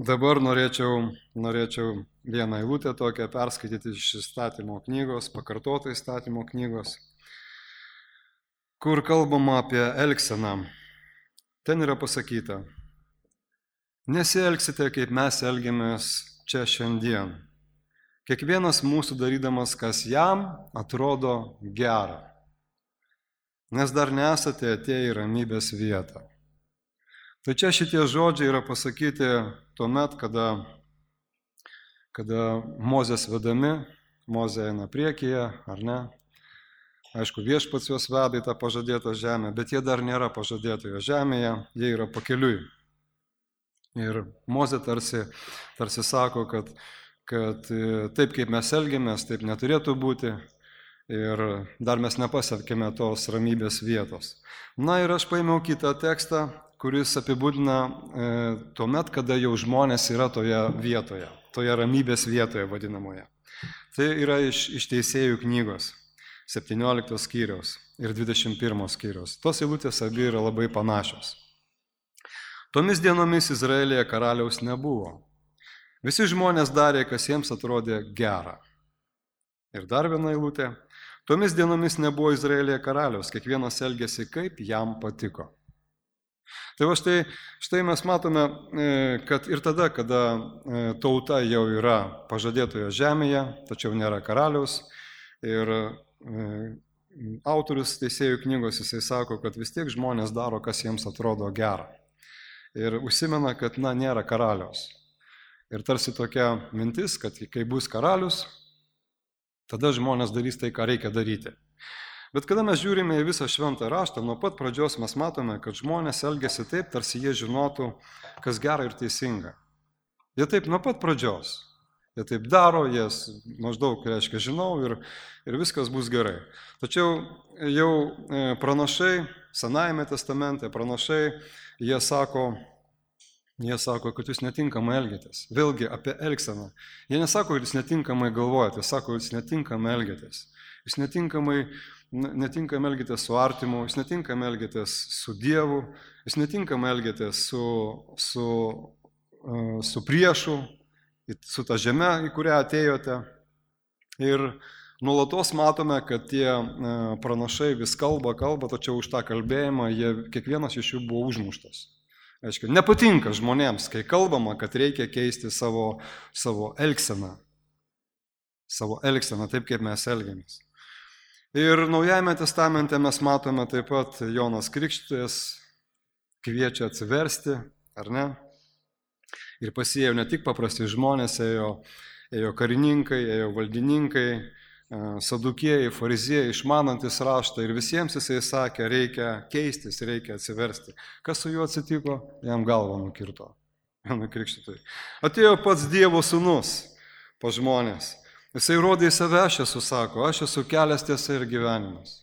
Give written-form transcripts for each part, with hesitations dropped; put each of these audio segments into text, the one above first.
Dabar norėčiau vieną eilutę tokią perskaityti iš įstatymo knygos, pakartoto įstatymo knygos, kur kalbama apie elgseną. Ten yra pasakyta: nesielgsite, kaip mes elgiamės čia šiandien. Kiekvienas mūsų darydamas, kas jam atrodo gera, nes dar nesate atėję į ramybės vietą. Tai čia šitie žodžiai yra pasakyti tuomet, kada Mozės vedami, Mozė eina priekyje, ar ne? Aišku, Viešpats juos veda į tą pažadėtą žemę, bet jie dar nėra pažadėtoje žemėje, jie yra pakeliui. Ir Mozė tarsi sako, kad taip kaip mes elgiamės, taip neturėtų būti ir dar mes nepasiekėme tos ramybės vietos. Na ir aš paėmiau kitą tekstą, kuris apibūdina tuomet, kada jau žmonės yra toje vietoje, toje ramybės vietoje vadinamoje. Tai yra iš Teisėjų knygos 17 skyriaus ir 21 skyriaus. Tos eilutės abi yra labai panašios. Tomis dienomis Izraelyje karaliaus nebuvo. Visi žmonės darė, kas jiems atrodė gera. Ir dar viena eilutė. Tomis dienomis nebuvo Izraelyje karaliaus, kiekvienas elgėsi, kaip jam patiko. Tai va štai mes matome, kad ir tada, kada tauta jau yra pažadėtoje žemėje, tačiau nėra karaliaus, ir autorius Teisėjų knygos jisai sako, kad vis tiek žmonės daro, kas jiems atrodo gera. Ir užsimena, kad nėra karaliaus. Ir tarsi tokia mintis, kad kai bus karalius, tada žmonės darys tai, ką reikia daryti. Bet kada mes žiūrime į visą šventą raštą, nuo pat pradžios mes matome, kad žmonės elgiasi taip, tarsi jie žinotų, kas gera ir teisinga. Jie taip nuo pat pradžios. Jie taip daro, jie maždaug, reiškia, žinau ir viskas bus gerai. Tačiau jau pranašai, Senajame testamente pranašai, jie sako, kad jūs netinkamai elgiatės. Vėlgi apie elgseną. Jie nesako, kad jūs netinkamai galvojate, jie sako, kad jūs netinkamai elgiatės. Jūs netinkamai elgiatės su artimu, jūs netinkamai elgiatės su Dievu, jūs netinkamai elgiatės su priešu, su ta žeme, į kurią atėjote. Ir nuolatos matome, kad tie pranašai vis kalba, tačiau už tą kalbėjimą kiekvienas iš jų buvo užmuštas. Aišku, nepatinka žmonėms, kai kalbama, kad reikia keisti savo elgseną. Savo elgseną, taip kaip mes elgiamės. Ir Naujajame testamente mes matome taip pat Jonas Krikštytojas kviečia atsiversti, ar ne? Ir pas jį ėjo ne tik paprasti žmonės, ėjo karininkai, ėjo valdininkai, sadukėjai, fariziejai, išmanantis raštą ir visiems jisai sakė, reikia keistis, reikia atsiversti. Kas su juo atsitiko? Jam galvą nukirto. Jonui Krikštytojui. Atėjo pats Dievo sūnus pas žmonės. Jisai rodė į save, aš esu, sako, aš esu kelias, tiesa ir gyvenimas.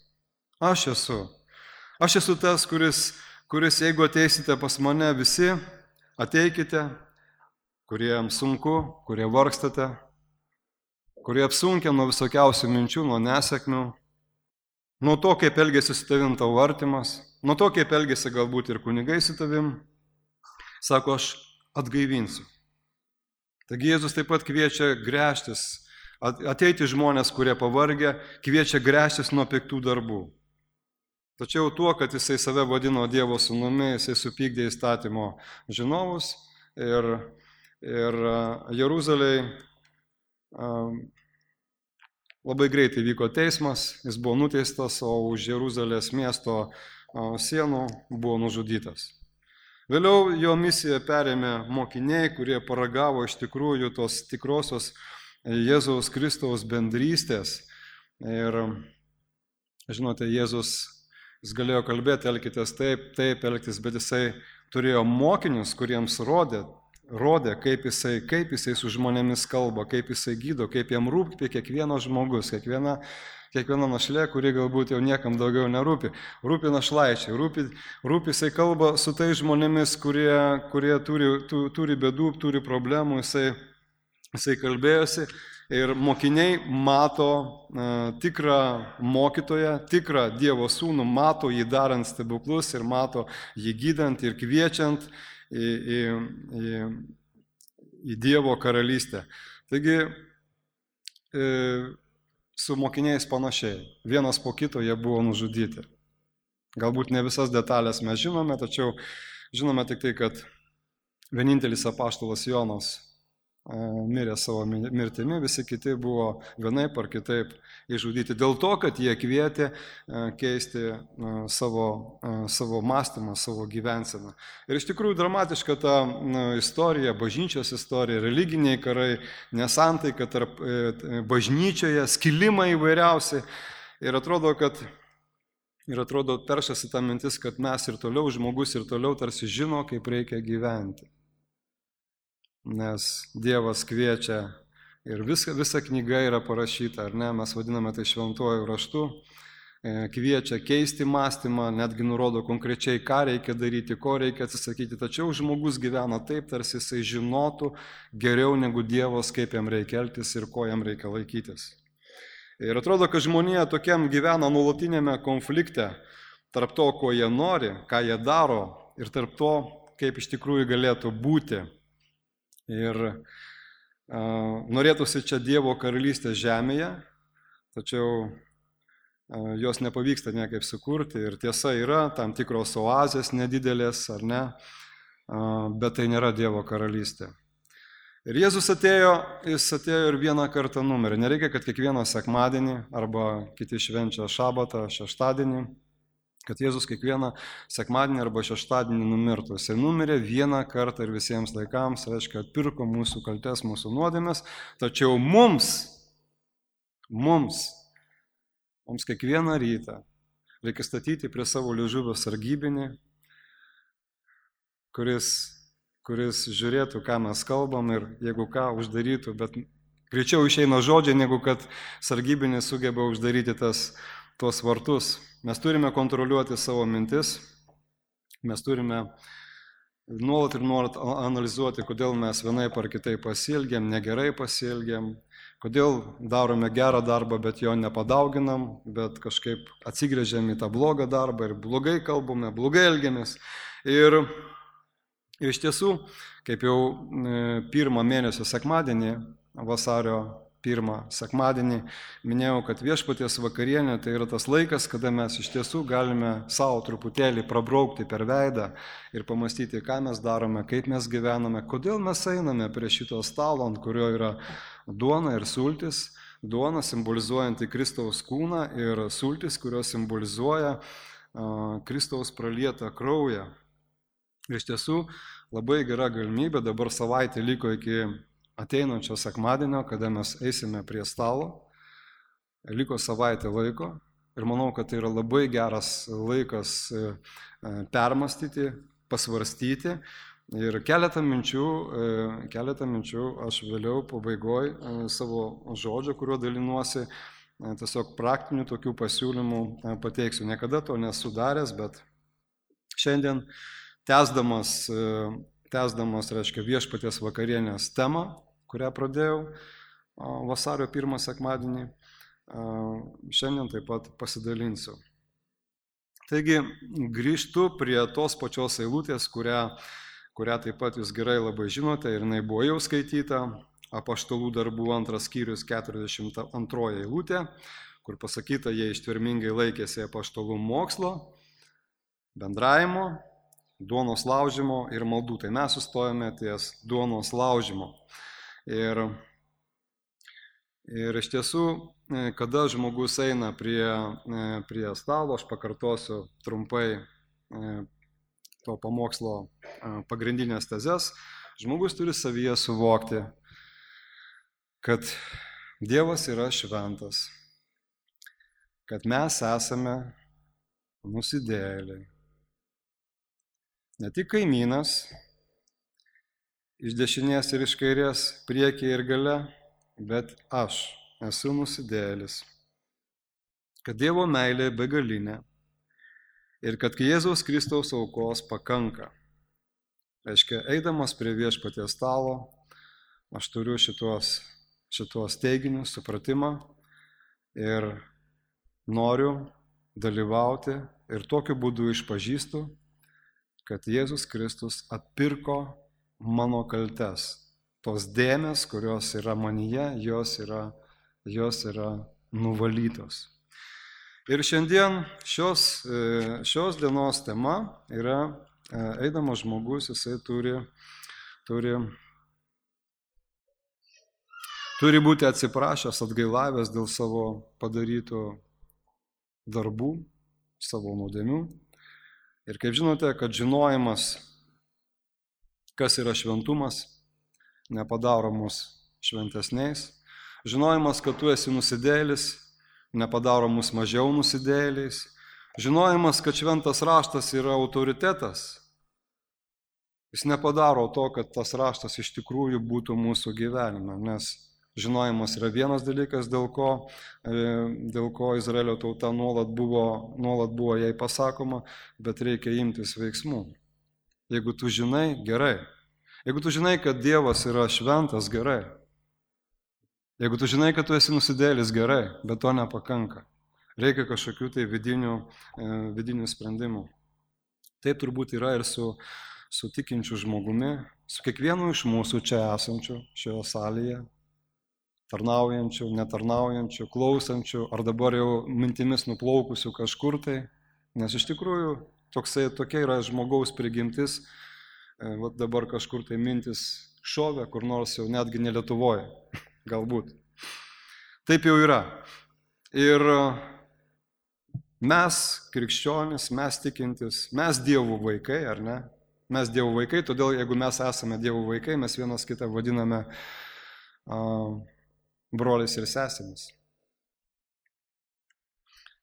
Aš esu tas, kuris jeigu ateisite pas mane visi, ateikite, kuriems sunku, kurie vargstate, kurie apsunkia nuo visokiausių minčių, nuo nesėkmių, nuo to, kaip elgėsi su tavim tavo artimas, nuo to, kaip elgėsi galbūt ir kunigai su tavim, sako, aš atgaivinsiu. Taigi Jėzus taip pat kviečia gręžtis, ateiti žmonės, kurie pavargę, kviečia gręžtis nuo piktų darbų. Tačiau tuo, kad jisai save vadino Dievo sūnumi, jisai supykdė įstatymo žinovus ir Jeruzalėj labai greitai vyko teismas, jis buvo nuteistas, o už Jeruzalės miesto sienų buvo nužudytas. Vėliau jo misiją perėmė mokiniai, kurie paragavo iš tikrųjų tos tikrosios Jėzaus Kristaus bendrystės. Ir, žinote, Jėzus, jis galėjo kalbėti, elkitės taip elgtis, bet jisai turėjo mokinius, kuriems rodė, kaip jisai su žmonėmis kalba, kaip jisai gydo, kaip jam rūpi kiekvienas žmogus, kiekviena našlė, kuri galbūt jau niekam daugiau nerūpi. Rūpi našlaičiai, rūpi jisai kalba su tais žmonėmis, kurie turi bėdų, turi problemų, jisai kalbėjosi ir mokiniai mato tikrą mokytoją, tikrą Dievo sūnų, mato jį darant stebuklus ir mato jį gydant ir kviečiant į į Dievo karalystę. Taigi, su mokiniais panašiai. Vienas po kito jie buvo nužudyti. Galbūt ne visas detalės mes žinome, tačiau žinome tik tai, kad vienintelis apaštalas Jonas mirė savo mirtimi, visi kiti buvo vienaip ar kitaip išžudyti dėl to, kad jie kvietė keisti savo mąstymą, savo gyvenseną. Ir iš tikrųjų dramatiška ta istorija, bažnyčios istorija, religiniai karai, nesantaika tarp bažnyčioje, skilimai įvairiausi. Ir atrodo, peršasi ta mintis, kad mes ir toliau, žmogus ir toliau tarsi žino, kaip reikia gyventi. Nes Dievas kviečia ir visa knyga yra parašyta, ar ne, mes vadiname tai šventuoju raštu, kviečia keisti mąstymą, netgi nurodo konkrečiai, ką reikia daryti, ko reikia atsisakyti, tačiau žmogus gyvena taip, tarsi jisai žinotų geriau negu Dievas, kaip jam reikia elgtis ir ko jam reikia laikytis. Ir atrodo, kad žmonija tokiam gyvena nuolatinėme konflikte tarp to, ko jie nori, ką jie daro ir tarp to, kaip iš tikrųjų galėtų būti. Ir norėtųsi čia Dievo karalystės žemėje, tačiau jos nepavyksta niekaip sukurti. Ir tiesa yra, tam tikros oazės nedidelės, ar ne, bet tai nėra Dievo karalystė. Ir Jėzus atėjo ir vieną kartą numirė. Nereikia, kad kiekvieną sekmadienį arba kiti švenčia šabatą, šeštadienį, kad Jėzus kiekvieną sekmadienį arba šeštadienį numirtų. Jis numirė vieną kartą ir visiems laikams, reiškia, atpirko mūsų kaltes, mūsų nuodėmes, tačiau mums kiekvieną rytą reikia statyti prie savo liežuvio sargybinį, kuris žiūrėtų, ką mes kalbam ir jeigu ką uždarytų, bet greičiau išeina žodžiai, negu kad sargybinis sugeba uždaryti tuos vartus. Mes turime kontroliuoti savo mintis, mes turime nuolat analizuoti, kodėl mes vienaip ar kitaip pasielgiam, negerai pasielgiam, kodėl darome gerą darbą, bet jo nepadauginam, bet kažkaip atsigręžiam į tą blogą darbą ir blogai kalbame, blogai elgiamės. Ir iš tiesų, kaip jau pirmą mėnesio sekmadienį, vasario 1 sekmadienį, minėjau, kad viešpaties vakarienė tai yra tas laikas, kada mes iš tiesų galime savo truputėlį prabraukti per veidą ir pamastyti, ką mes darome, kaip mes gyvename, kodėl mes einame prie šito stalo, ant kurio yra duona ir sultis, duona simbolizuojanti Kristaus kūną ir sultis, kurios simbolizuoja Kristaus pralietą kraują. Iš tiesų, labai gera galimybė, dabar savaitė liko iki ateinančio sekmadienio, kada mes eisime prie stalo, liko savaitė laiko ir manau, kad tai yra labai geras laikas permastyti, pasvarstyti ir keletą minčių aš vėliau pabaigoj savo žodžio, kuriuo dalinuosi, tiesiog praktinių tokių pasiūlymų pateiksiu. Niekada to nesu daręs, bet šiandien tęsdamas, reiškia, viešpaties vakarienės temą, kurią pradėjau vasario 1 sekmadienį, šiandien taip pat pasidalinsiu. Taigi, grįžtu prie tos pačios eilutės, kurią taip pat jūs gerai labai žinote ir jinai buvo jau skaityta, Apaštalų darbų 2 skyrius 42 eilutė, kur pasakyta, jie ištvermingai laikėsi apaštalų mokslo, bendravimo, duonos laužimo ir maldų. Tai mes sustojame ties duonos laužimo. Ir iš tiesų, kada žmogus eina prie stalo, aš pakartosiu trumpai to pamokslo pagrindinės tezes, žmogus turi savyje suvokti, kad Dievas yra šventas, kad mes esame nusidėjėliai. Ne tik kaimynas, iš dešinės ir iš kairės, priekyje ir gale, bet aš esu nusidėjėlis. Kad Dievo meilė begalinė ir kad Jėzaus Kristaus aukos pakanka. Reiškia, eidamas prie viešpaties stalo, aš turiu šitos teiginius, supratimą ir noriu dalyvauti ir tokiu būdu išpažįstu, kad Jėzus Kristus atpirko mano kaltes tos dėmės, kurios yra manyje, jos yra nuvalytos. Ir šiandien šios dienos tema yra eidamas žmogus, jisai turi būti atsiprašęs, atgailavęs dėl savo padarytų darbų, savo nuodėmių. Ir kaip žinote, kad žinojimas, kas yra šventumas, nepadaro mus šventesniais. Žinojimas, kad tu esi nusidėjėlis, nepadaro mus mažiau nusidėjėliais. Žinojimas, kad šventas raštas yra autoritetas, jis nepadaro to, kad tas raštas iš tikrųjų būtų mūsų gyvenime, nes žinojimas yra vienas dalykas, dėl ko Izraelio tauta nuolat buvo jai pasakoma, bet reikia imtis veiksmų. Jeigu tu žinai, gerai. Jeigu tu žinai, kad Dievas yra šventas, gerai. Jeigu tu žinai, kad tu esi nusidėjėlis, gerai, bet to nepakanka. Reikia kažkokių tai vidinių sprendimų. Taip turbūt yra ir su tikinčiu žmogumi, su kiekvienu iš mūsų čia esančių šioje salėje, tarnaujančių, netarnaujančių, klausančių, ar dabar jau mintimis nuplaukusių kažkur tai, nes iš tikrųjų tokia yra žmogaus prigimtis, dabar kažkur tai mintis šovė, kur nors jau netgi ne Lietuvoje, galbūt. Taip jau yra. Ir mes, krikščionys, mes tikintis, mes Dievo vaikai, ar ne? Mes Dievo vaikai, todėl jeigu mes esame Dievo vaikai, mes vienas kitą vadiname broliais ir sesėmis.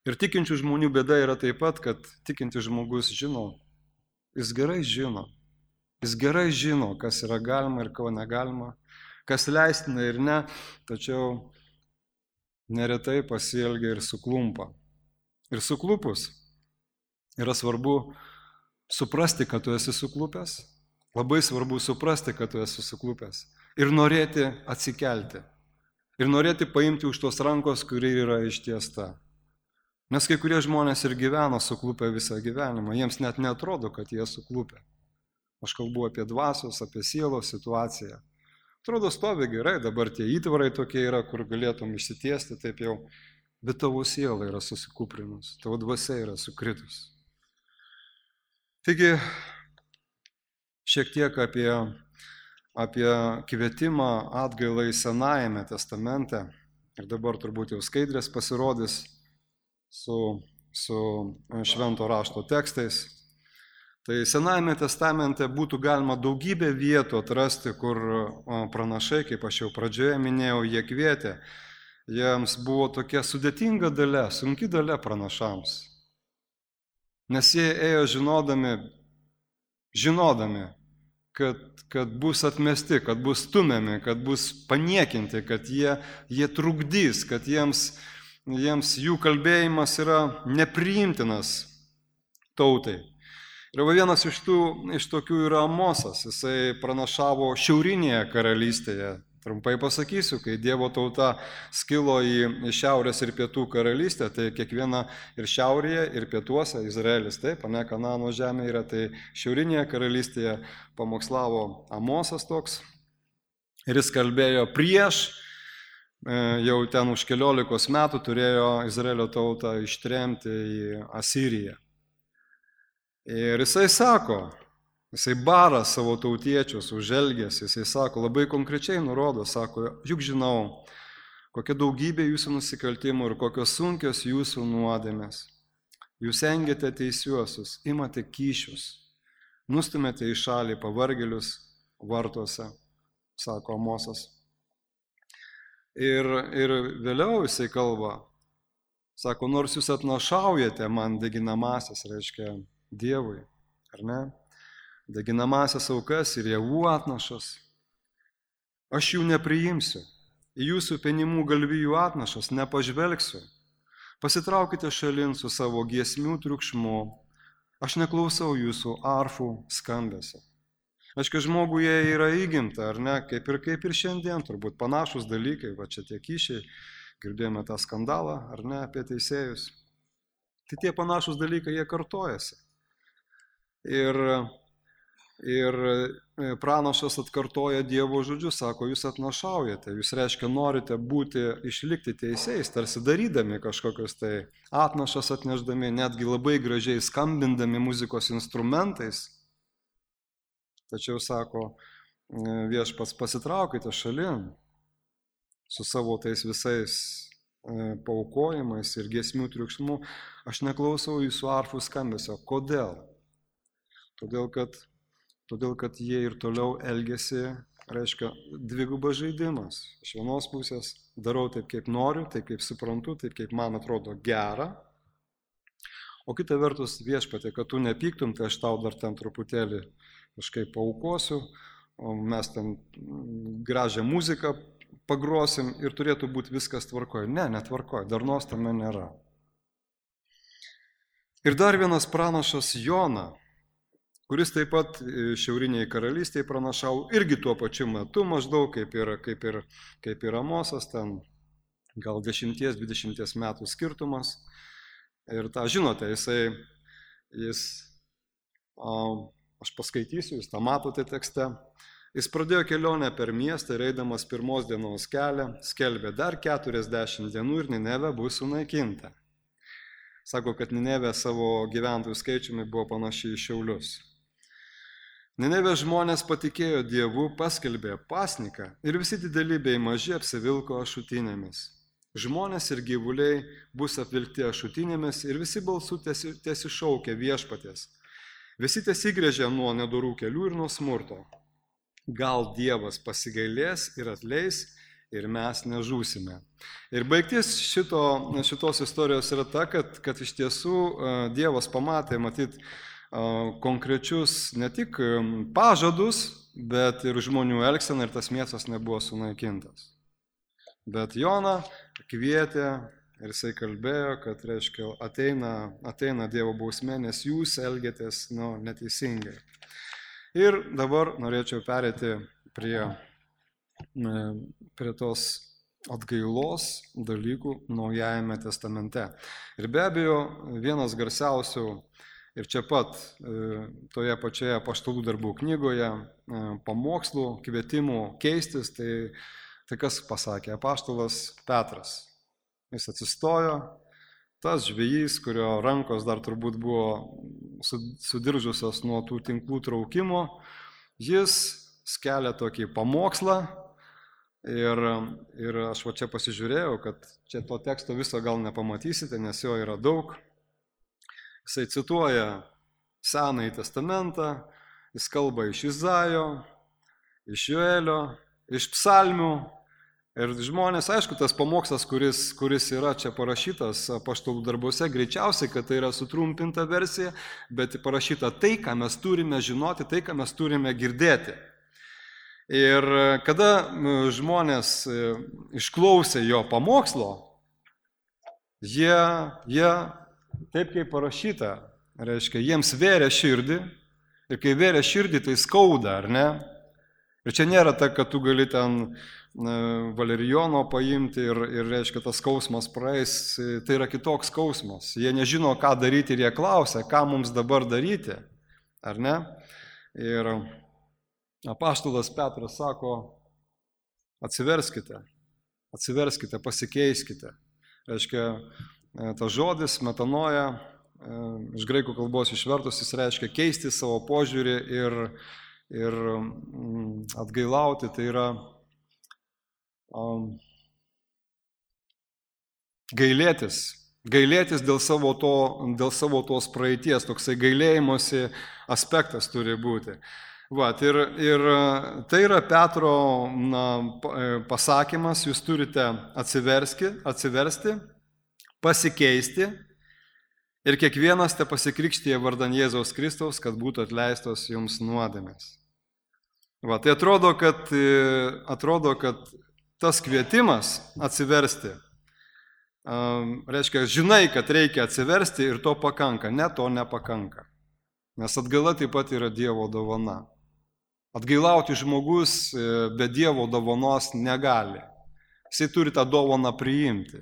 Ir tikinčių žmonių bėda yra taip pat, kad tikintis žmogus žino, jis gerai žino, kas yra galima ir ko negalima, kas leistina ir ne, tačiau neretai pasielgia ir suklumpa. Ir suklupus yra svarbu suprasti, kad tu esi suklupęs, labai svarbu suprasti, kad tu esi suklupęs ir norėti atsikelti. Ir norėti paimti už tos rankos, kuri yra ištiesta. Nes kai kurie žmonės ir gyvena suklupę visą gyvenimą, jiems net neatrodo, kad jie suklupę. Aš kalbu apie dvasios, apie sielos situaciją. Atrodo, stovi gerai, dabar tie įtvarai tokie yra, kur galėtum išsitiesti taip jau, bet tavo siela yra susikūprinus, tavo dvasia yra sukritus. Taigi, šiek tiek apie kvietimą atgailai Senajame testamente, ir dabar turbūt jau skaidrės pasirodys su švento rašto tekstais. Tai Senajame testamente būtų galima daugybę vietų atrasti, kur pranašai, kaip aš jau pradžioje minėjau, jie kvietė. Jiems buvo tokia sudėtinga dalia, sunki dalia pranašams. Nes jie ėjo žinodami, kad bus atmesti, kad bus stumiami, kad bus paniekinti, kad jie trukdys, kad jiems jų kalbėjimas yra nepriimtinas tautai. Ir vienas iš tokių yra Amosas, jisai pranašavo šiaurinėje karalystėje. Trumpai pasakysiu, kai Dievo tauta skilo į šiaurės ir pietų karalystę, tai kiekviena ir šiaurėje, ir pietuose Izraelis, taip, ne Kanano žemė yra, tai šiaurinėje karalystėje pamokslavo Amosas toks. Ir jis kalbėjo prieš, jau ten už 14 metų turėjo Izraelio tautą ištremti į Asiriją. Ir jisai sako, jisai bara savo tautiečius už elgesį, jisai sako, labai konkrečiai nurodo, sako, juk žinau, kokia daugybė jūsų nusikaltimų ir kokios sunkios jūsų nuodėmės. Jūs engiate teisiuosius, imate kyšius, nustumėte į šalį pavargėlius vartuose, sako Amosas. Ir vėliau jisai kalba, sako, nors jūs atnašaujate man deginamasias, reiškia Dievui, ar ne? Deginamasias aukas ir javų atnašas. Aš jų nepriimsiu, į jūsų penimų galvijų atnašas nepažvelgsiu. Pasitraukite šalin su savo giesmių triukšmu, aš neklausau jūsų arfų skambesio. Aišku, žmoguje yra įgimta, ar ne, kaip ir šiandien, turbūt panašus dalykai, va čia tie kyšiai, girdėjome tą skandalą, ar ne, apie teisėjus. Tai tie panašus dalykai, jie kartojasi. Ir Ir pranašas atkartoja Dievo žodžius, sako, jūs atnašaujate, jūs reiškia norite išlikti teisėjais, tarsi darydami kažkokius tai atnašas atnešdami, netgi labai gražiai skambindami muzikos instrumentais. Tačiau, sako, viešpats, pasitraukite šalin su savo tais visais paaukojimais ir giesmių triukšmu. Aš neklausau jūsų arfų skambesio. Kodėl? Todėl, kad jie ir toliau elgiasi, reiškia, dvigubas žaidimas. Iš vienos pusės darau taip, kaip noriu, taip, kaip suprantu, taip, kaip man atrodo gera. O kita vertus, viešpatie, kad tu nepyktum, tai aš tau dar ten truputėlį kažkaip paaukosiu, o mes ten gražią muziką pagrosim ir turėtų būti viskas tvarkoje. Ne, netvarkoje, darnos tame nėra. Ir dar vienas pranašas Jona, kuris taip pat šiauriniai karalystėje pranašavo irgi tuo pačiu metu, maždaug kaip ir Amosas, ten gal 10-20 metų skirtumas. Ir tą žinote, aš paskaitysiu, jūs tą matote tekste. Jis pradėjo kelionę per miestą ir eidamas pirmos dienos kelią, skelbė dar 40 dienų ir Ninevė bus sunaikinta. Sako, kad Ninevė savo gyventojų skaičiumi buvo panaši į Šiaulius. Ninevės žmonės patikėjo Dievu, paskelbė pasniką ir visi dideli bei maži apsivilko ašutinėmis. Žmonės ir gyvuliai bus apvilkti ašutinėmis ir visi balsų tiesišaukia viešpaties. Visi tiesigrėžia nuo nedorų kelių ir nuo smurto. Gal Dievas pasigailės ir atleis ir mes nežūsime. Ir baigtis šitos istorijos yra ta, kad iš tiesų Dievas pamatė, matyt, konkrečius ne tik pažadus, bet ir žmonių elgseną ir tas miestas nebuvo sunaikintas. Bet Joną kvietė ir jisai kalbėjo, kad reiškia, ateina Dievo bausmė, nes jūs elgiatės neteisingai. Ir dabar norėčiau pereiti prie tos atgailos dalykų Naujajame testamente. Ir be abejo, vienas garsiausių ir čia pat toje pačioje Apaštalų darbų knygoje pamokslų, kvietimų keistis, tai kas pasakė? Apaštalas Petras. Jis atsistojo, tas žvejys, kurio rankos dar turbūt buvo sudiržusios nuo tų tinklų traukimo, jis skelia tokį pamokslą ir aš va čia pasižiūrėjau, kad čia to teksto viso gal nepamatysite, nes jo yra daug. Jisai cituoja Senąjį testamentą, jis kalba iš Izaijo, iš Joelio, iš psalmių. Ir žmonės, aišku, tas pamokslas, kuris yra čia parašytas Apaštalų darbuose, greičiausiai, kad tai yra sutrumpinta versija, bet parašyta tai, ką mes turime žinoti, tai, ką mes turime girdėti. Ir kada žmonės išklausė jo pamokslo, jie taip kaip parašyta, reiškia, jiems vėrė širdį, ir kai vėrė širdį, tai skauda, ar ne? Ir čia nėra ta, kad tu gali ten valerijono paimti ir reiškia, tas skausmas praeis, tai yra kitoks skausmas. Jie nežino, ką daryti ir jie klausia, ką mums dabar daryti, ar ne? Ir apaštalas Petras sako, atsiverskite, pasikeiskite. Reiškia, tas žodis metanoja, iš graikų kalbos išvertus, jis reiškia keisti savo požiūrį ir atgailauti, tai yra gailėtis dėl savo tos praeities, toksai gailėjimosi aspektas turi būti. Ir tai yra Petro pasakymas, jūs turite atsiversti, pasikeisti ir kiekvienas te pasikrikštyje vardan Jėzaus Kristaus, kad būtų atleistos jums nuodėmės. Tai atrodo, kad tas kvietimas atsiversti, reiškia, žinai, kad reikia atsiversti ir to pakanka, ne, to nepakanka. Nes atgaila taip pat yra Dievo dovana. Atgailauti žmogus be Dievo dovanos negali. Jisai turi tą dovaną priimti.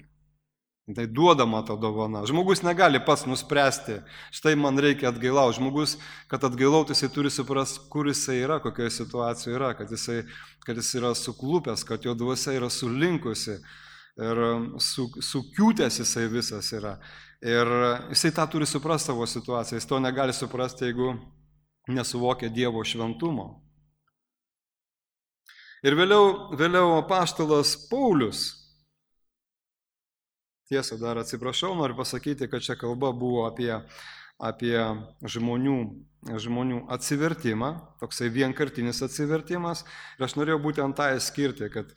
Tai duodama ta dovana. Žmogus negali pats nuspręsti, štai man reikia atgailauti. Žmogus, kad atgailauti, jisai turi suprasti, kur jisai yra, kokioje situacijoje yra, kad jis yra suklupęs, kad jo dvasia yra sulinkusi ir sukiūtęs jisai visas yra. Ir jisai tą turi suprasti savo situaciją. Jis to negali suprasti, jeigu nesuvokia Dievo šventumo. Ir vėliau apaštalas Paulius, tiesa, dar atsiprašau, noriu pasakyti, kad čia kalba buvo apie žmonių atsivertimą, toksai vienkartinis atsivertimas. Ir aš norėjau būtent tą skirti, kad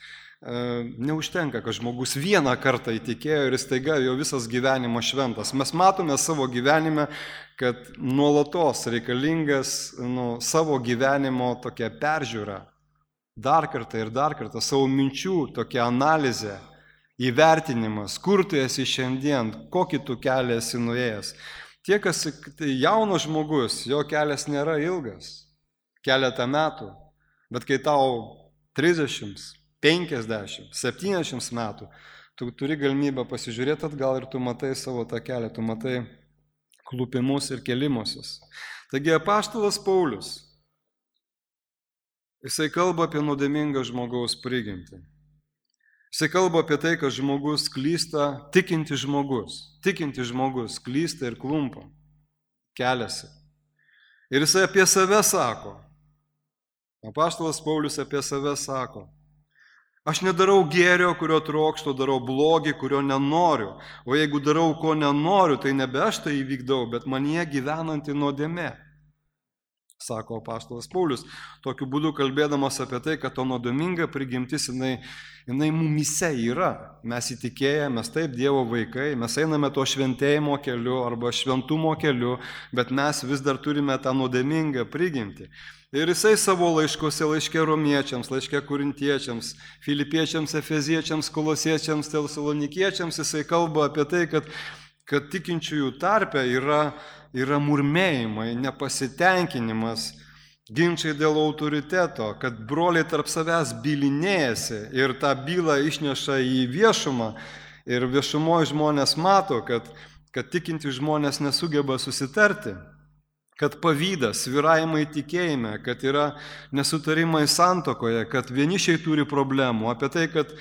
neužtenka, kad žmogus vieną kartą įtikėjo ir staiga jo visas gyvenimas šventas. Mes matome savo gyvenime, kad nuolatos reikalingas savo gyvenimo tokia peržiūra. Dar kartą savo minčių tokia analizė. Įvertinimas, kur tu esi šiandien, kokį tu kelią esi nuėjęs. Tie, kas jaunas žmogus, jo kelias nėra ilgas, keletą metų, bet kai tau 30, 50, 70 metų, tu turi galimybę pasižiūrėti atgal ir tu matai savo tą kelią, tu matai klupimus ir kelimusius. Taigi apaštalas Paulius, jisai kalba apie nuodėmingą žmogaus prigimtį. Jisai kalba apie tai, kad žmogus klysta, tikintis žmogus klysta ir klumpa, keliasi. Ir jisai apie save sako, apaštalas Paulius apie save sako, aš nedarau gėrio, kurio trokštu, darau blogį, kurio nenoriu, o jeigu darau, ko nenoriu, tai nebe aš tai įvykdau, bet manyje gyvenanti nuodėmė. Sako apaštalas Paulius, tokiu būdu kalbėdamas apie tai, kad to nuodėminga prigimtis, jinai mumise yra. Mes įtikėję, mes taip Dievo vaikai, mes einame to šventėjimo keliu arba šventumo keliu, bet mes vis dar turime tą nuodėmingą prigimtį. Ir jisai savo laiškose, laiške romiečiams, laiške korintiečiams, filipiečiams, efeziečiams, kolosiečiams, tesalonikiečiams, jisai kalba apie tai, kad tikinčiųjų tarpe yra murmėjimai, nepasitenkinimas, ginčiai dėl autoriteto, kad broliai tarp savęs bylinėjasi ir tą bylą išneša į viešumą ir viešumoje žmonės mato, kad tikinti žmonės nesugeba susitarti, kad pavydas, svyravimai tikėjime, kad yra nesutarimai santuokoje, kad vienišiai turi problemų, apie tai, kad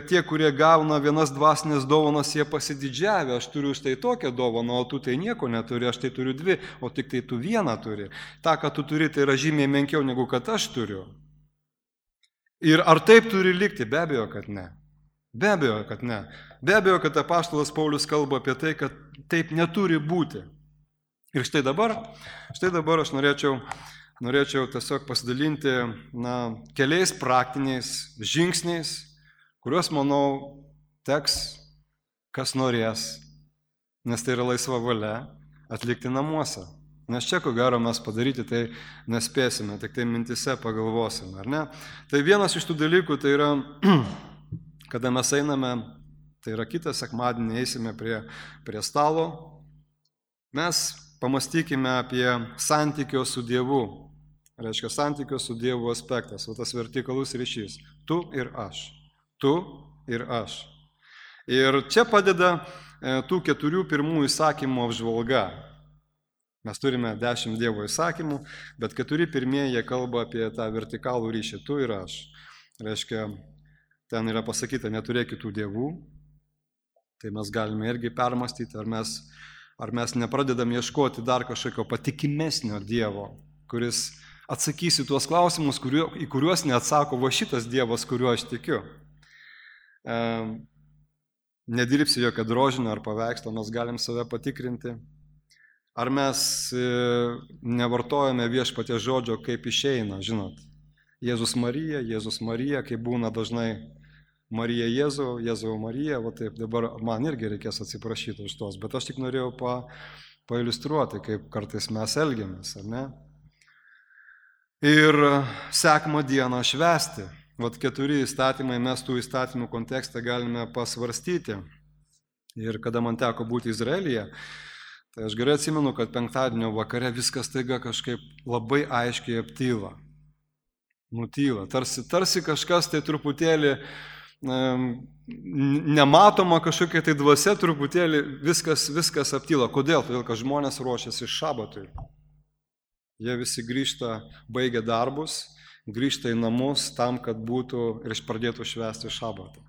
tie, kurie gauna vienas dvasinės dovanas, jie pasididžiavę, aš turiu štai tokią dovaną, o tu tai nieko neturi, aš tai turiu dvi, o tik tai tu vieną turi. Ta, ką tu turi, tai yra žymiai menkiau negu kad aš turiu. Ir ar taip turi likti? Be abejo, kad ne. Be abejo, kad ne. Be abejo, kad apaštalas Paulius kalba apie tai, kad taip neturi būti. Ir štai dabar aš norėčiau tiesiog pasidalinti keliais praktiniais žingsniais, kuriuos, manau, teks, kas norės, nes tai yra laisva valia, atlikti namuose. Nes čia, ko gero, mes padaryti tai nespėsime, tik tai mintise pagalvosime, ar ne? Tai vienas iš tų dalykų, tai yra, kada mes einame, tai yra kitą sekmadienį eisime prie stalo, mes pamastykime apie santykio su Dievu. Reiškia, santykio su Dievu aspektas, o tas vertikalus ryšys. Tu ir aš. Tu ir aš. Ir čia padeda tų 4 pirmųjų įsakymų apžvalga. Mes turime 10 Dievo įsakymų, bet 4 pirmieji jie kalba apie tą vertikalų ryšį. Tu ir aš. Reiškia, ten yra pasakyta, neturėk kitų dievų. Tai mes galime irgi permastyti, ar mes nepradedam ieškoti dar kažkokio patikimesnio Dievo, kuris atsakys į tuos klausimus, į kuriuos neatsako va šitas Dievas, kuriuo aš tikiu. Nedirbsi jokio drožinio ar paveikslo, mes galim save patikrinti. Ar mes nevartojame viešpaties žodžio, kaip išeina, žinot. Jėzus Marija, kaip būna dažnai Marija Jėzau, Jėzau Marija, va taip, dabar man irgi reikės atsiprašyti už tos, bet aš tik norėjau pailiustruoti, kaip kartais mes elgiamės, ar ne? Ir sekmą dieną švęsti. Vat 4 įstatymai, mes tų įstatymų kontekste galime pasvarstyti. Ir kada man teko būti Izraelyje, tai aš gerai atsimenu, kad penktadienio vakare viskas taiga kažkaip labai aiškiai aptyla. Nutyla. Tarsi kažkas tai truputėlį nematoma kažkokia tai dvasia, truputėlį viskas aptyla. Kodėl? Todėl, kad žmonės ruošiasi šabatui. Jie visi grįžta, baigia darbus, grįžta į namus tam, kad būtų ir pradėtų švęsti šabatą.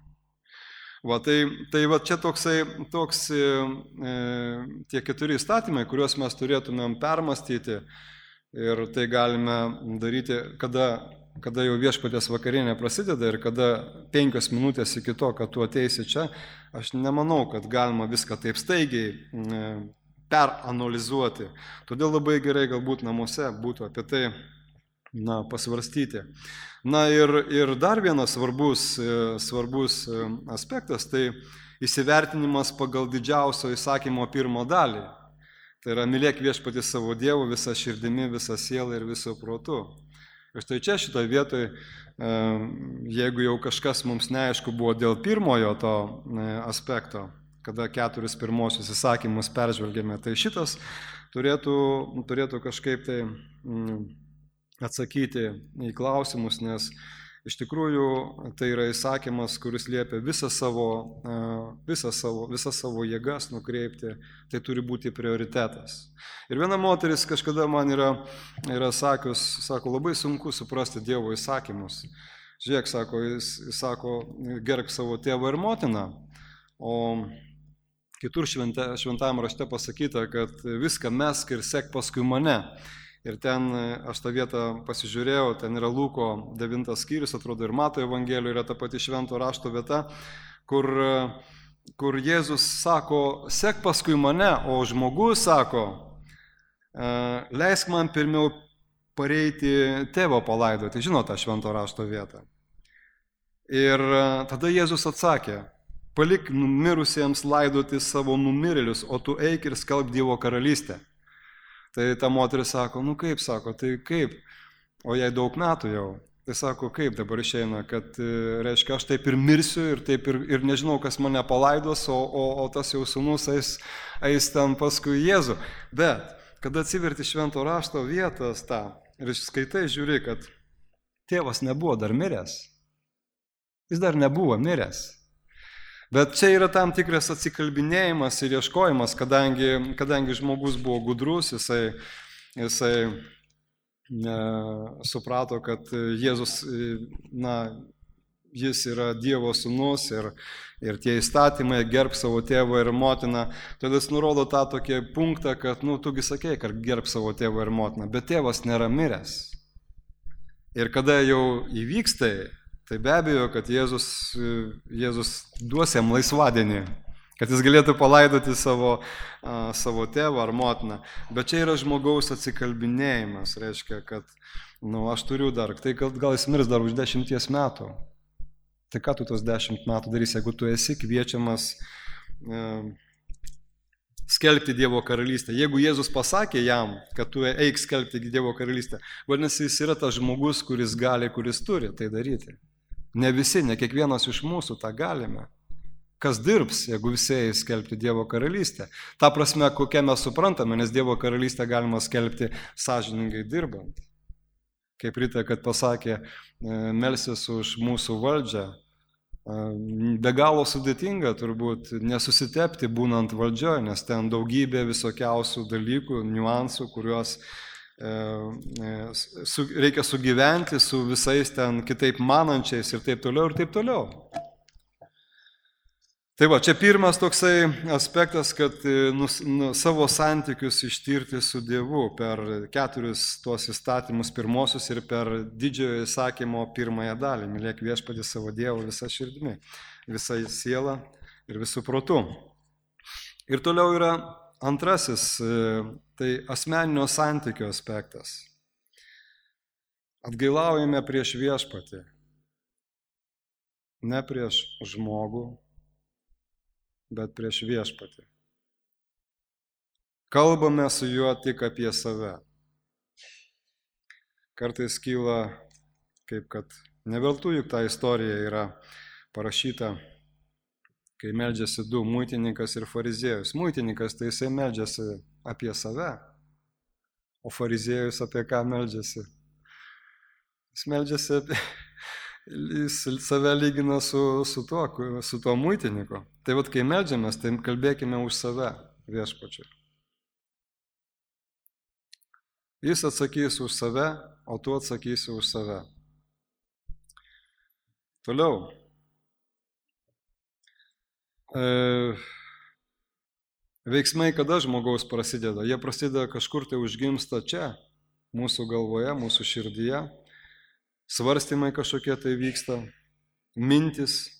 Va, tai va, čia toks tie 4 įstatymai, kuriuos mes turėtumėm permastyti ir tai galime daryti, kada jau viešpaties vakarienė prasideda ir kada 5 minutės iki to, kad tu ateisi čia, aš nemanau, kad galima viską taip staigiai peranalizuoti. Todėl labai gerai galbūt namuose būtų apie tai pasvarstyti. Na ir dar vienas svarbus aspektas, tai įsivertinimas pagal didžiausio įsakymo 1 dalį. Tai yra mylėk viešpatį savo Dievu visą širdimi, visą sielą ir visą protu. Ir štai čia šitoje vietoje, jeigu jau kažkas mums neaišku buvo dėl pirmojo to aspekto, kada 4 pirmosius įsakymus peržvelgėme, tai šitas turėtų kažkaip tai atsakyti į klausimus, nes iš tikrųjų tai yra įsakymas, kuris liepia visą savo jėgas nukreipti, tai turi būti prioritetas. Ir viena moteris kažkada man yra sakius, sako, labai sunku suprasti Dievo įsakymus. Žiūrėk, jis sako, gerbk savo tėvą ir motiną, o kitur šventajame rašte pasakyta, kad viską mesk ir sek paskui mane. Ir ten, aš tą vietą pasižiūrėjau, ten yra Luko 9 skyrius, atrodo ir Mato Evangelijoje yra ta pati švento rašto vieta, kur Jėzus sako, sek paskui mane, o žmogus sako, leisk man pirmiau pareiti tėvo palaidoti. Žinot tą švento rašto vietą. Ir tada Jėzus atsakė, palik mirusiems laidoti savo numirėlius, o tu eik ir skelbk Dievo karalystę. Tai ta moteris sako, kaip, tai kaip, o jai daug metų jau. Tai sako, kaip dabar išeina, kad, reiškia, aš taip ir mirsiu ir nežinau, kas mane palaidos, o tas jau sūnus eis ten paskui Jėzų. Bet, kada atsiverti švento rašto vietas tą ir skaitai, žiūri, kad tėvas nebuvo dar miręs. Jis dar nebuvo miręs. Bet čia yra tam tikras atsikalbinėjimas ir ieškojimas, kadangi žmogus buvo gudrus, jisai suprato, kad Jėzus, jis yra Dievo sūnus ir tie įstatymai gerbk savo tėvą ir motiną. Todėl jis nurodo tą tokį punktą, kad, tugi sakei, kad gerbk savo tėvą ir motiną, bet tėvas nėra miręs. Ir kada jau įvyks tai be abejo, kad Jėzus duos jam laisvadienį, kad jis galėtų palaidoti savo tėvą ar motiną. Bet čia yra žmogaus atsikalbinėjimas, reiškia, kad aš turiu dar, tai gal jis mirs dar už 10 metų. Tai ką tu tos 10 metų darysi, jeigu tu esi kviečiamas skelbti Dievo karalystę. Jeigu Jėzus pasakė jam, kad tu eik skelbti Dievo karalystę, vadinasi, jis yra tas žmogus, kuris gali, kuris turi tai daryti. Ne visi, ne kiekvienas iš mūsų tą galime. Kas dirbs, jeigu visi eis skelbti Dievo karalystę? Ta prasme, kokią mes suprantame, nes Dievo karalystę galima skelbti sąžiningai dirbant. Kaip Rita, kad pasakė, melsis už mūsų valdžią. Be galo sudėtinga turbūt nesusitepti būnant valdžioje, nes ten daugybė visokiausių dalykų, niuansų, kuriuos reikia sugyventi su visais ten kitaip manančiais ir taip toliau ir taip toliau. Tai va, čia pirmas toksai aspektas, kad savo santykius ištirti su Dievu per 4 tuos įstatymus pirmosius ir per didžiojo įsakymo 1 dalį. Mylėk viešpatį savo Dievą visą širdimi, visą sielą ir visų protų. Ir toliau yra antrasis, tai asmeninio santykio aspektas. Atgailaujame prieš viešpatį, ne prieš žmogų, bet prieš viešpatį. Kalbame su juo tik apie save. Kartais kyla, kaip kad neveltui, juk ta istorija yra parašyta, kai meldžiasi 2, muitininkas ir fariziejus. Muitininkas tai jisai meldžiasi apie save, o fariziejus apie ką meldžiasi? Jis meldžiasi Jis save lygina su tuo muitiniku. Tai vat, kai meldžiamės, tai kalbėkime už save viešpačiui. Jis atsakys už save, o tu atsakysi už save. Toliau. Veiksmai kada žmogaus prasideda? Jie prasideda kažkur tai užgimsta čia, mūsų galvoje, mūsų širdyje. Svarstymai kažkokie tai vyksta, mintis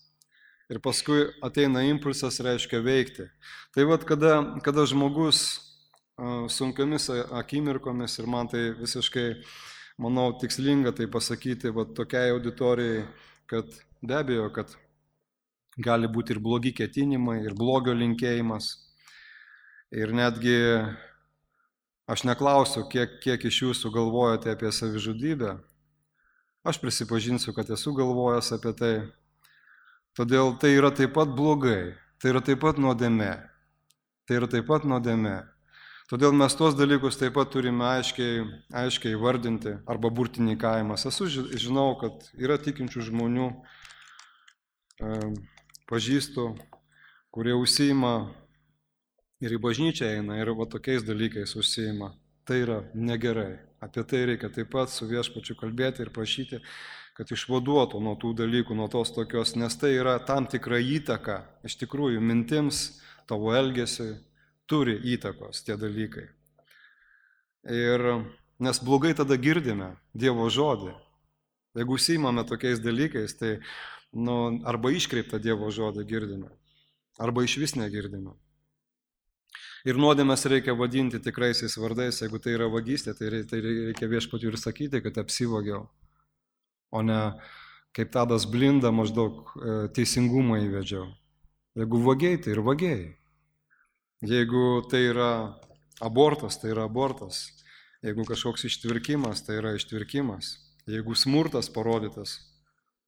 ir paskui ateina impulsas, reiškia veikti. Tai vat, kada žmogus sunkiomis akimirkomis, ir man tai visiškai, manau, tikslinga tai pasakyti vat, tokiai auditorijai, kad be abejo, kad gali būti ir blogi ketinimai, ir blogio linkėjimas. Ir netgi aš neklausiu, kiek iš jūsų galvojate apie savižudybę. Aš prisipažinsiu, kad esu galvojęs apie tai. Todėl tai yra taip pat blogai, tai yra taip pat nuodėmė. Tai yra taip pat nuodėmė. Todėl mes tuos dalykus taip pat turime aiškiai vardinti arba burtininkavimas. Žinau, kad yra tikinčių žmonių, pažįstu, kurie užsiima ir į bažnyčią eina ir va tokiais dalykais užsiima. Tai yra negerai. Apie tai reikia taip pat su viešpačiu kalbėti ir prašyti, kad išvaduotų nuo tų dalykų, nuo tos tokios, nes tai yra tam tikra įtaka, iš tikrųjų, mintims, tavo elgesiui turi įtakos tie dalykai. Ir nes blogai tada girdime Dievo žodį. Jeigu užsiimame tokiais dalykais, tai arba iškreiptą Dievo žodį girdime, arba iš vis negirdime. Ir nuodėmes reikia vadinti tikraisiais vardais. Jeigu tai yra vagystė, tai reikia viešpačiui ir sakyti, kad apsivogiau. O ne kaip Tadas Blinda maždaug teisingumą įvedžiau. Jeigu vagiai, tai ir vagiai. Jeigu tai yra abortas, tai yra abortas. Jeigu kažkoks ištvirkimas, tai yra ištvirkimas. Jeigu smurtas parodytas,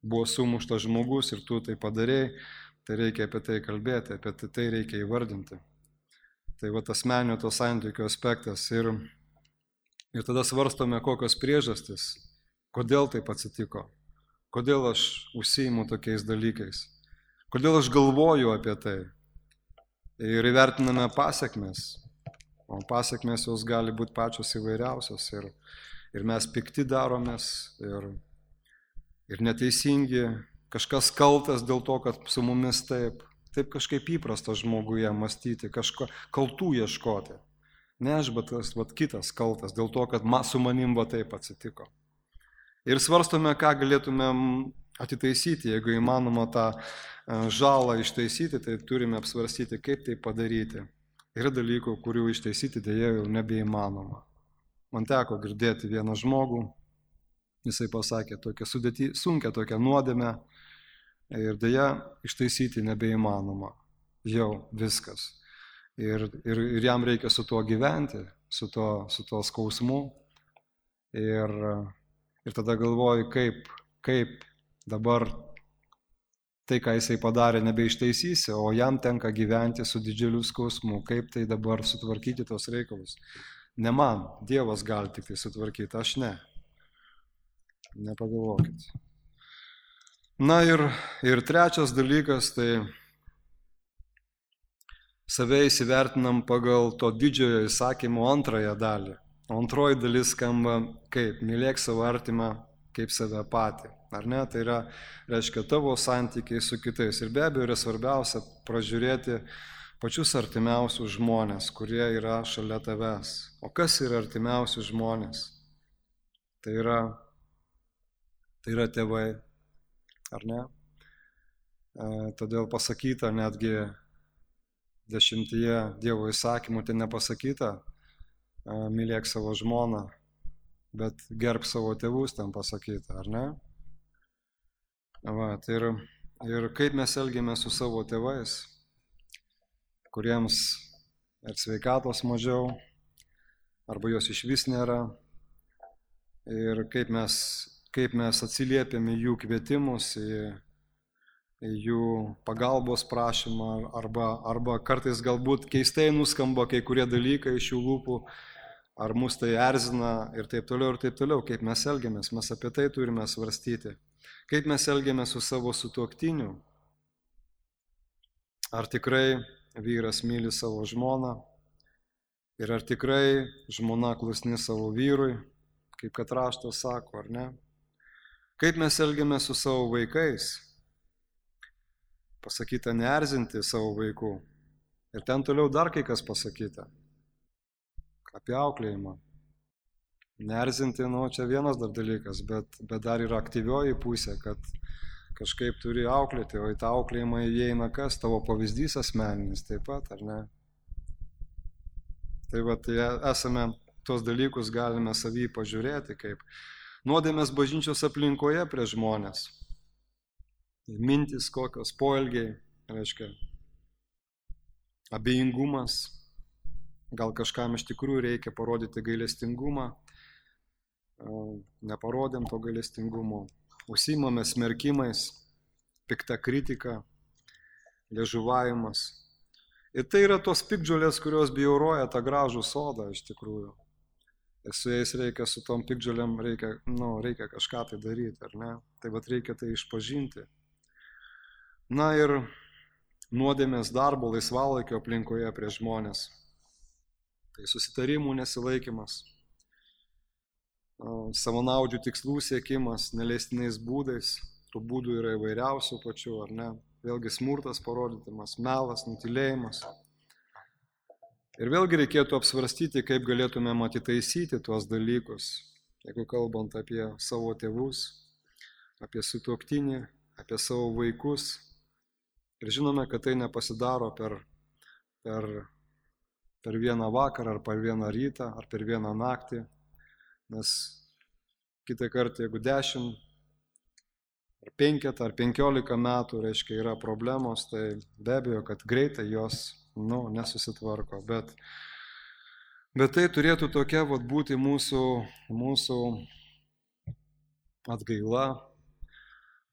buvo sumuštas žmogus ir tu tai padarėjai, tai reikia apie tai kalbėti, apie tai reikia įvardinti. Tai va asmeninio to santykių aspektas. Ir tada svarstome, kokios priežastys, kodėl taip atsitiko, kodėl aš užsiimu tokiais dalykais, kodėl aš galvoju apie tai. Ir įvertiname pasekmes. O pasekmes jos gali būti pačios įvairiausios. Ir mes pikti daromės, ir neteisingi, kažkas kaltas dėl to, kad su mumis taip kažkaip įprasta žmoguje mąstyti, kažko kaltų ieškoti. Ne aš, bet kitas kaltas, dėl to, kad su manim taip atsitiko. Ir svarstome, ką galėtumėm atitaisyti, jeigu įmanoma tą žalą ištaisyti, tai turime apsvarstyti, kaip tai padaryti. Yra dalykų, kurių ištaisyti dėja jau nebeįmanoma. Man teko girdėti vieną žmogų, jisai pasakė sunkia tokia nuodėmė, ir dėja ištaisyti nebeįmanoma. Jau viskas. Ir jam reikia su tuo gyventi, su tuo skausmu. Ir tada galvoju, kaip dabar tai, ką jisai padarė, nebeištaisysi, o jam tenka gyventi su didžiuliu skausmu. Kaip tai dabar sutvarkyti tos reikalus? Ne man, Dievas gali tik tai sutvarkyti, aš ne. Nepagalvokit. Na ir trečias dalykas, tai save įsivertinam pagal to didžiojo įsakymo antrąją dalį. O antroji dalis skamba kaip: mylėk savo artimą kaip save patį. Ar ne? Tai reiškia tavo santykiai su kitais. Ir be abejo yra svarbiausia pražiūrėti pačius artimiausius žmonės, kurie yra šalia tavęs. O kas yra artimiausi žmonės? Tai yra tėvai. Ar ne? Todėl pasakyta netgi 10 Dievo įsakymų, tai nepasakyta mylėk savo žmoną, bet gerb savo tėvus, ten pasakyta, ar ne? Va, tai ir kaip mes elgiamės su savo tėvais, kuriems ir sveikatos mažiau, arba jos iš vis nėra, ir kaip mes atsiliepiame jų kvietimus, į jų pagalbos prašymą, arba kartais galbūt keistai nuskamba kai kurie dalykai iš jų lūpų, ar mus tai erzina ir taip toliau, kaip mes elgiamės, mes apie tai turime svarstyti. Kaip mes elgiamės su savo sutuoktiniu? Ar tikrai vyras myli savo žmoną? Ir ar tikrai žmona klusni savo vyrui, kaip kad raštas sako, ar ne? Kaip mes elgiamės su savo vaikais? Pasakyta neerzinti savo vaikų. Ir ten toliau dar kai kas pasakyta. Apie auklėjimą. Neerzinti, čia vienas dar dalykas, bet dar yra aktyvioji pusė, kad kažkaip turi auklėti, o į tą auklėjimą įeina kas? Tavo pavyzdys asmeninis taip pat, ar ne? Tai esame tos dalykus galime savy pažiūrėti, kaip nuodėmės bažnyčios aplinkoje prie žmonės. Mintis kokios, poelgiai, reiškia, abejingumas, gal kažkam iš tikrųjų reikia parodyti gailestingumą, neparodėm to gailestingumo, užsiimame smerkimais, pikta kritika, liežuvavimas. Ir tai yra tos piktžolės, kurios bjauroja tą gražų sodą iš tikrųjų. Ir su jais reikia, su tom piktžolėm reikia kažką tai daryti, ar ne? Tai reikia tai išpažinti. Na ir nuodėmės darbo laisvalaikio aplinkoje prie žmonės. Tai susitarimų nesilaikymas, savanaudžių tikslų siekimas, neleistinais būdais, tų būdų yra įvairiausių pačių, ar ne? Vėlgi smurtas parodytimas, melas, nutylėjimas. Ir vėlgi reikėtų apsvarstyti, kaip galėtumėm atitaisyti tuos dalykus, jeigu kalbant apie savo tėvus, apie sutuoktinį, apie savo vaikus. Ir žinome, kad tai nepasidaro per vieną vakarą, ar per vieną rytą, ar per vieną naktį. Nes kitą kartą, jeigu 10, ar 5, ar 15 metų, reiškia, yra problemos, tai be abejo, kad greitai jos nesusitvarko. Bet tai turėtų tokia būti mūsų atgaila,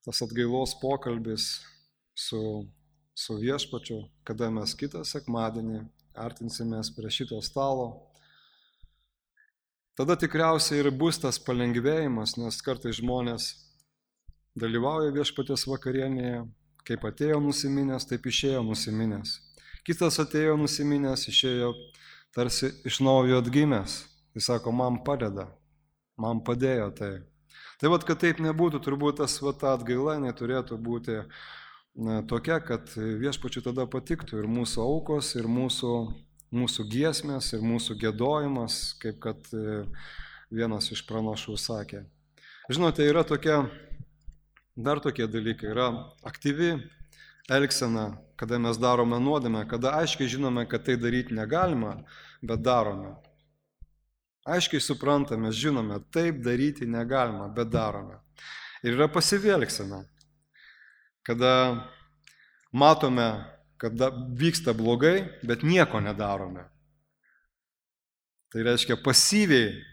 tas atgailos pokalbis su viešpačiu, kada mes kitą sekmadienį artinsimės prie šito stalo. Tada tikriausiai ir bus tas palengvėjimas, nes kartais žmonės dalyvauja viešpaties vakarienėje, kaip atėjo nusiminęs, taip išėjo nusiminęs. Kitas atėjo nusiminęs, išėjo tarsi iš naujo atgimęs. Jis sako, man padeda, man padėjo tai. Tai kad taip nebūtų, turbūt ta atgaila neturėtų būti tokia, kad viešpačiui tada patiktų ir mūsų aukos, ir mūsų giesmės, ir mūsų giedojimas, kaip kad vienas iš pranašų sakė. Žinote, yra dar tokie dalykai, yra aktyvi elgsena, kada mes darome nuodėmę, kada aiškiai žinome, kad tai daryti negalima, bet darome. Aiškiai suprantame, žinome, taip daryti negalima, bet darome. Ir yra pasyvi elgsena, kada matome, kad vyksta blogai, bet nieko nedarome. Tai reiškia pasyviai,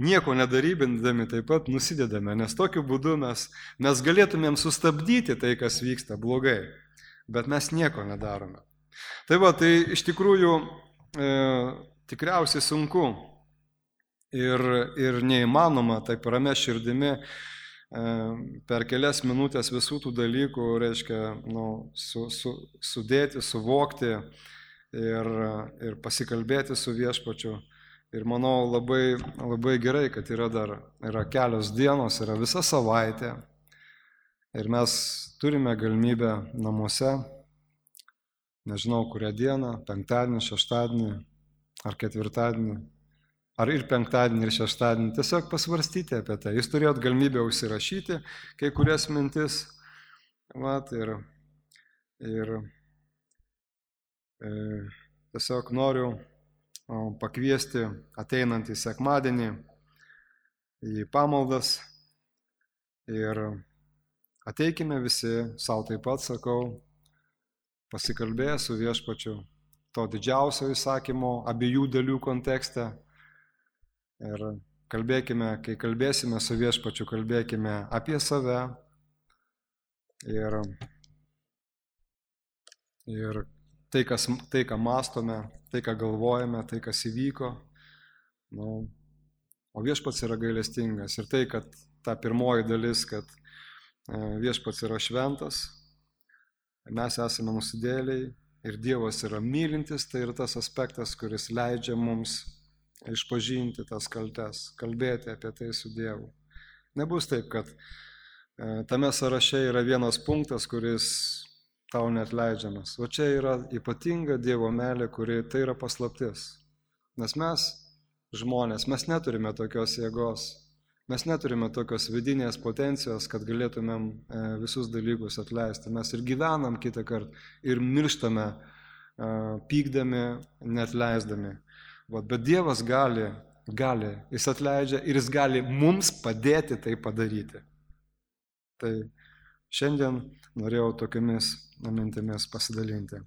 nieko nedarybindami taip pat nusidedame, nes tokiu būdu mes galėtumėm sustabdyti tai, kas vyksta blogai, bet mes nieko nedarome. Tai iš tikrųjų tikriausiai sunku ir neįmanoma taip ramia širdimi per kelias minutės visų tų dalykų, reiškia, sudėti, suvokti ir pasikalbėti su viešpačiu. Ir manau labai, labai gerai, kad yra kelios dienos, yra visa savaitė. Ir mes turime galimybę namuose, nežinau kurią dieną, penktadienį, šeštadienį ar ketvirtadienį, ar ir penktadienį, ir šeštadienį, tiesiog pasvarstyti apie tai. Jūs turėjot galimybę užsirašyti kai kurias mintis. Tiesiog noriu pakviesti ateinantį sekmadienį į pamaldas ir ateikime visi, savo taip pat sakau, pasikalbėję su viešpačiu to didžiausio įsakymo abiejų dalių kontekste. Ir kalbėkime, kai kalbėsime su viešpačiu, kalbėkime apie save ir tai, ką mąstome, tai, ką galvojame, tai, kas įvyko. O viešpats yra gailestingas ir tai, kad ta pirmoji dalis, kad viešpats yra šventas, mes esame nusidėliai ir Dievas yra mylintis, tai yra tas aspektas, kuris leidžia mums išpažinti tas kaltes, kalbėti apie tai su Dievu. Nebus taip, kad tame sąraše yra vienas punktas, kuris tau neatleidžiamas. O čia yra ypatinga Dievo meilė, kuri tai yra paslaptis. Nes mes, žmonės, mes neturime tokios jėgos, mes neturime tokios vidinės potencijos, kad galėtumėm visus dalykus atleisti. Mes ir gyvenam kitą kartą ir mirštame pykdami, neatleisdami. Bet Dievas gali, jis atleidžia ir jis gali mums padėti tai padaryti. Tai šiandien norėjau tokiamis mintimis pasidalinti.